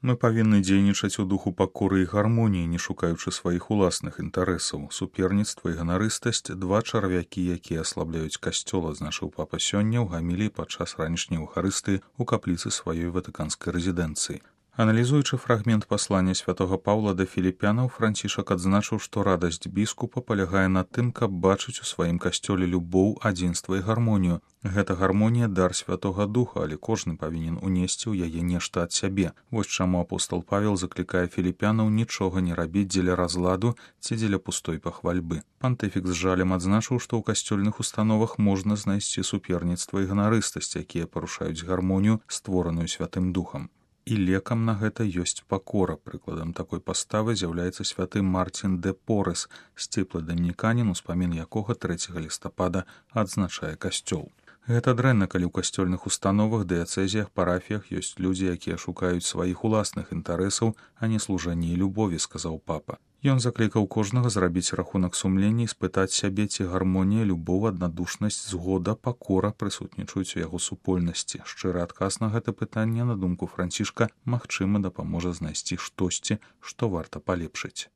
Мы павінны дзейнічаць у духу пакоры і гармоніі, не шукаючы сваіх уласных інтарэсаў. Суперніцтва і ганарыстасць – два чарвякі, якія аслабляюць касцёл, адзначыў папа сёння ў гаміліі падчас ранішняй эўхарыстыі ў капліцы сваёй ватыканскай рэзідэнцыі. Аналізуючы фрагмент паслання святога Паўла да філіпянаў, Францішак адзначыў, што радасць біскупа палягае на тым, каб бачыць у сваім касцёле любоў, адзінства і гармонію. Гэта гармонія – дар святога духа, але кожны павінен унесці ў яе нешта ад сябе. Вось чаму апостол Павел заклікае філіпянаў нічога не рабіць дзеля разладу ці дзеля пустой пахвальбы. Пантыфік з жалем адзначыў, што ў касцёльных установах можна знайсці суперніцтва і ганарыстасць, якія парушаюць гармонію, створаную святым духам. І лекам на гэта ёсць пакора. Прыкладам такой паставы з'яўляецца святы Мартін де Порес, сціплы дамініканін, успамін якога 3 лістапада адзначае касцёл. Гэта дрэнна, калі ў касцёльных установах, дыяцэзіях, парафіях ёсць людзі, якія шукаюць сваіх уласных інтарэсаў, а не служэння і любові, сказаў папа. Ён заклікаў кожнага зрабіць рахунак сумлення і спытаць сябе, ці гармонія, любоў, аднадушнасць, згода, пакора прысутнічаюць у яго супольнасці. Шчыры адказ на гэта пытанне, на думку Францішка, магчыма, дапаможа знайсці штосьці, што варта палепшыць.